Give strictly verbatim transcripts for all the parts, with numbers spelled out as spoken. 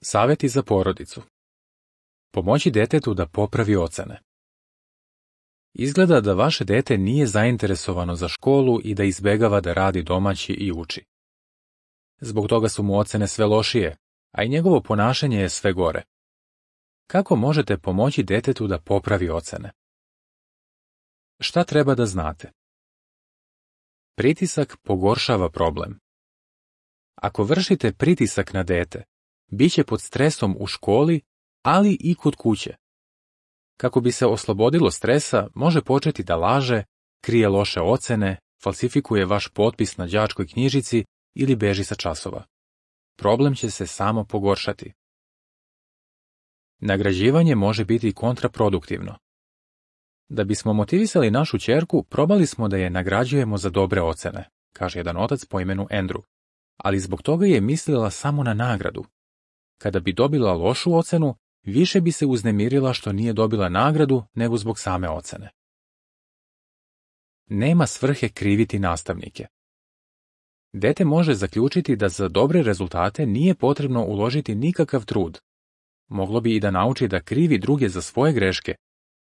Savjeti za porodicu. Pomoći djetetu da popravi ocene. Izgleda da vaše dijete nije zainteresovano za školu i da izbjegava da radi domaći i uči. Zbog toga su mu ocene sve lošije, a i njegovo ponašanje je sve gore. Kako možete pomoći djetetu da popravi ocene? Šta treba da znate? Pritisak pogoršava problem. Ako vršite pritisak na dijete, bit će pod stresom u školi, ali i kod kuće. Kako bi se oslobodilo stresa, može početi da laže, krije loše ocene, falsifikuje vaš potpis na đačkoj knjižici ili beži sa časova. Problem će se samo pogoršati. Nagrađivanje može biti kontraproduktivno. Da bismo motivisali našu ćerku, probali smo da je nagrađujemo za dobre ocene, kaže jedan otac po imenu Andrew, ali zbog toga je mislila samo na nagradu. Kada bi dobila lošu ocenu, više bi se uznemirila što nije dobila nagradu nego zbog same ocene. Nema svrhe kriviti nastavnike. Dete može zaključiti da za dobre rezultate nije potrebno uložiti nikakav trud. Moglo bi i da nauči da krivi druge za svoje greške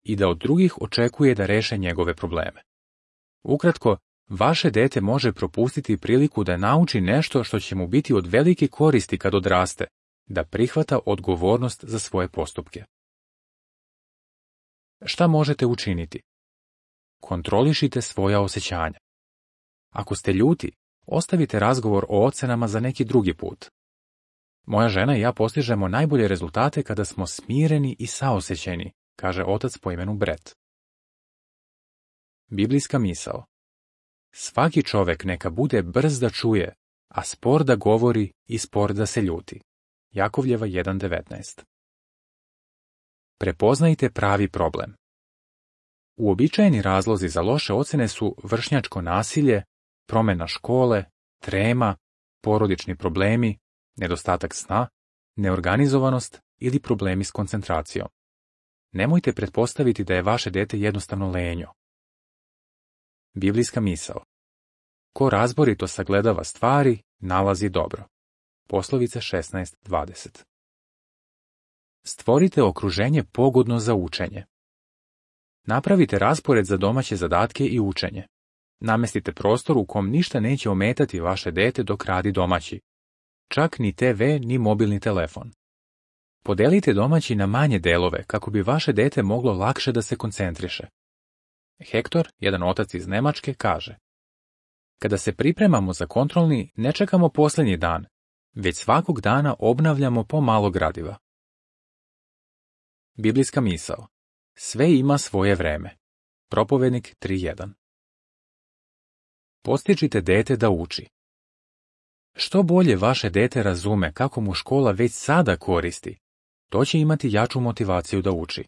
i da od drugih očekuje da reše njegove probleme. Ukratko, vaše dete može propustiti priliku da nauči nešto što će mu biti od velike koristi kad odraste, da prihvata odgovornost za svoje postupke. Šta možete učiniti? Kontrolišite svoja osjećanja. Ako ste ljuti, ostavite razgovor o ocenama za neki drugi put. Moja žena i ja postižemo najbolje rezultate kada smo smireni i saosjećeni, kaže otac po imenu Brett. Biblijska misao. Svaki čovek neka bude brz da čuje, a spor da govori i spor da se ljuti. Jakovljeva jedan devetnaest. Prepoznajte pravi problem. Uobičajeni razlozi za loše ocene su vršnjačko nasilje, promjena škole, trema, porodični problemi, nedostatak sna, neorganizovanost ili problemi s koncentracijom. Nemojte pretpostaviti da je vaše dijete jednostavno lenjo. Biblijska misao. Ko razborito sagledava stvari, nalazi dobro. Poslovice šesnaest dvadeset. Stvorite okruženje pogodno za učenje. Napravite raspored za domaće zadatke i učenje. Namestite prostor u kom ništa neće ometati vaše dete dok radi domaći. Čak ni te ve ni mobilni telefon. Podelite domaći na manje delove kako bi vaše dete moglo lakše da se koncentriše. Hektor, jedan otac iz Nemačke, kaže: Kada se pripremamo za kontrolni, ne čekamo posljednji dan, već svakog dana obnavljamo po malo gradiva. Biblijska misao. Sve ima svoje vreme. Propovednik tri jedan. Postičite dete da uči. Što bolje vaše dete razume kako mu škola već sada koristi, to će imati jaču motivaciju da uči.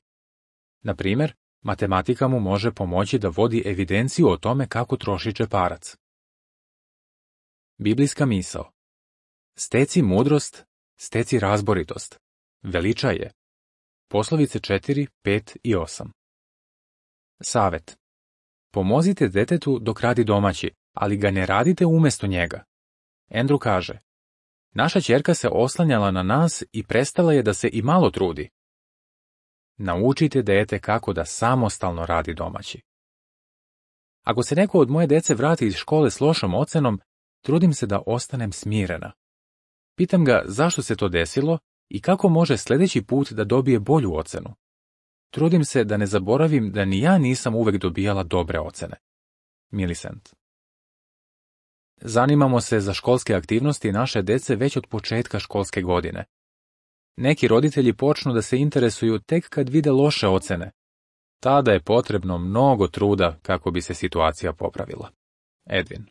Na primjer, matematika mu može pomoći da vodi evidenciju o tome kako troši džeparac. Biblijska misao. Steci mudrost, steci razboritost. Veličaj je. Poslovice četiri, pet i osam. Savet. Pomozite detetu dok radi domaći, ali ga ne radite umjesto njega. Andrew kaže: Naša ćerka se oslanjala na nas i prestala je da se i malo trudi. Naučite dete kako da samostalno radi domaći. Ako se neko od moje dece vrati iz škole s lošom ocenom, trudim se da ostanem smirena. Pitam ga zašto se to desilo i kako može sljedeći put da dobije bolju ocenu. Trudim se da ne zaboravim da ni ja nisam uvek dobijala dobre ocene. Millicent. Zanimamo se za školske aktivnosti naše dece već od početka školske godine. Neki roditelji počnu da se interesuju tek kad vide loše ocene. Tada je potrebno mnogo truda kako bi se situacija popravila. Edwin.